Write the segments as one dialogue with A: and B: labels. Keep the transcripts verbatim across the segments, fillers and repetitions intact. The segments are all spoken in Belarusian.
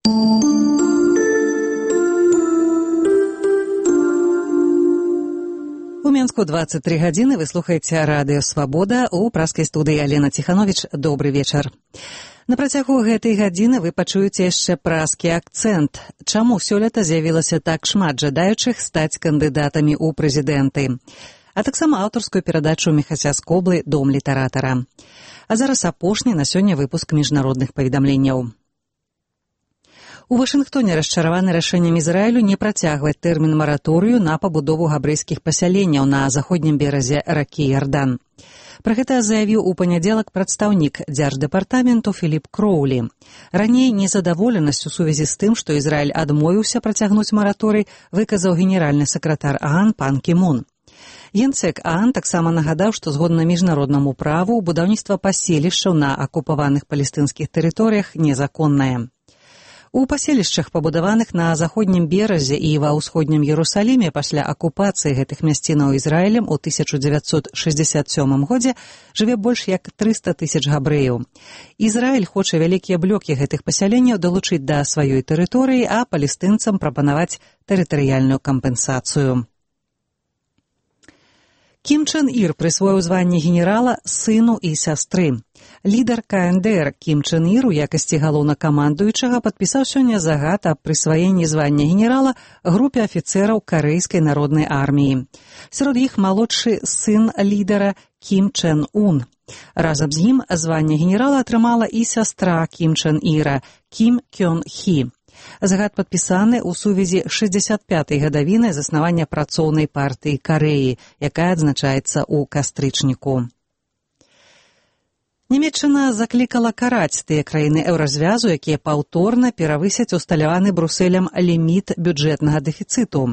A: У Мінску двадцать три гадзіны, вы слухаеце радыё «Свабода», у праскай студыі Алена Ціхановіч. Добры вечар. На працягу гэтай гадзіны вы пачуеце яшчэ праскі акцэнт. Чаму сёлета з'явілася так шмат жадаючых стаць кандыдатамі ў прэзідэнты? А таксама аўтарскую перадачу Міхася Скоблы «Дом літаратара». А зараз апошні на сёння выпуск міжнародных паведамленняў. У Вашынгтоне расчараваны рашэннем Ізраілю не працягваць тэрмін мараторыю на пабудову габрэйскіх пасяленняў на заходнім беразе ракі Ярдан. Пра гэта заявіў у панядзелак прадстаўнік дзярждэпартаменту Філіп Кроулі. Раней незадаволенасць у сувязі з тым, што Ізраіль адмовіўся працягнуць мараторый, выказаў генеральны сакратар ААН пан Кі Мун. Генсек ААН таксама нагадаў, што згодна міжнароднаму праву будаўніцтва паселішчаў на акупаваных палестынскіх тэрыторыях незаконнае. У паселішчах, пабудаваных на заходнім беразе і ва ўсходнім Ерусаліме пасля акупацыі гэтых мясцінаў Ізраілем у тысяча дзевяцьсот шэсцьдзесят сёмым годзе, жыве больш як трыста тысяч габрэяў. Ізраіль хоча вялікія блокі гэтых пасяленняў далучыць да сваёй тэрыторыі, а палестынцам прапанаваць тэрытарыяльную кампенсацыю. Кім Чен Ір прысвоіў званне генерала сыну і сястры. Лідар Ка Эн Дэ Эр Кім Чен Ір у якасці галоўнакамандуючага падпісаў сёння загад аб прысваенні звання генерала групе афіцэраў Карэйскай народнай арміі. Сярод іх малодшы сын лідара Кім Чен Ун. Разам з ім званне генерала атрымала і сястра Кім Чен Іра Кім Кён Хі. Загад падпісаны ў сувязі шэсцьдзесят пятай гадавіны заснавання працоўнай партыі Карэі, якая адзначаецца ў кастрычніку. Нямецчына заклікала караць тыя краіны еўразвязу, якія паўторна перавысяць усталяваны Брусэлем ліміт бюджэтнага дэфіцыту.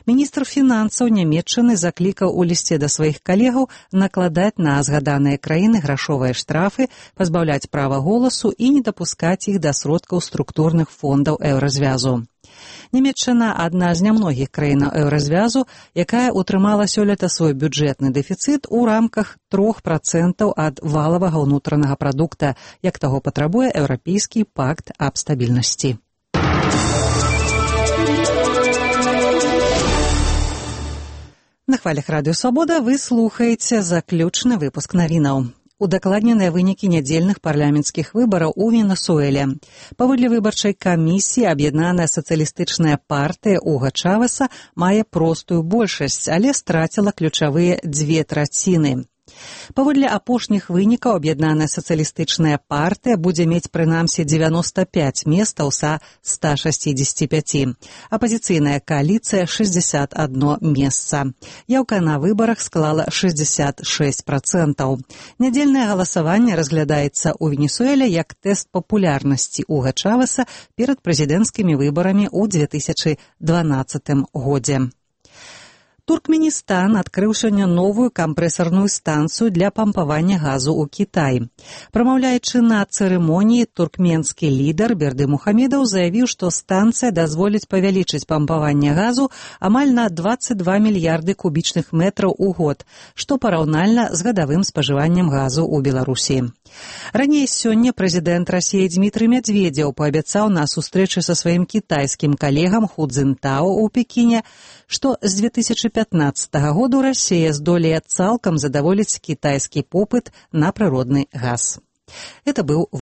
A: Міністр фінансаў Нямецчыны заклікаў у лісце да сваіх калегаў накладаць на згаданыя краіны грашовыя штрафы, пазбаўляць права голасу і не дапускаць іх да сродкаў структурных фондаў еўразвязу. Нямецчына – адна з нямногіх краінаў еўразвязу, якая утрымала сёлета свой бюджэтны дэфіцыт у рамках трох працэнтаў ад валавага ўнутранага прадукта, як таго патрабуе Еўрапейскі пакт аб стабільнасці. На хвалях радыё «Свабода» вы слухаеце заключны выпуск навінаў. Удакладненыя вынікі нядзельных парламенцкіх выбараў у Венесуэле. Паводле выбарчай камісіі аб'яднаная сацыялістычная партыя Уга Чавеса мае простую большасць, але страціла ключавыя дзве траціны. Паводле апошніх вынікаў аб'яднаная сацыялістычная партыя будзе мець прынамсі дзевяноста пяць месцаў са ста шэсцідзесяці пяці. Апазіцыйная кааліцыя шэсцьдзесят адно месца. Яўка на выбарах склала шэсцьдзесят шэсць працэнтаў. Нядзельнае галасаванне разглядаецца ў Венесуэле як тэст папулярнасці Уга Чавеса перад прэзідэнцкімі выбарамі ў дзве тысячы дванаццатым годзе. Туркменістан адкрыў сёння новую кампрэсарную станцыю для пампавання газу ў Кітаі. Прамаўляючы на цырымоніі, туркменскі лідар Берды Мухамедаў заявіў, што станцыя дазволіць павялічыць пампаванне газу амаль на дваццаць два мільярды кубічных метраў у год, што параўнальна з гадавым спажываннем газу ў Беларусі. Раней сёння прэзідэнт Расіі Дзмітрый Мядзведзеў паабяцаў на сустрэчы са сваім кітайскім калегам Ху Цзінтао ў Пекіне, што з дзве тысячы пятнаццатага году Расія здолее цалкам задаволіць кітайскі попыт на прыродны газ. Это быў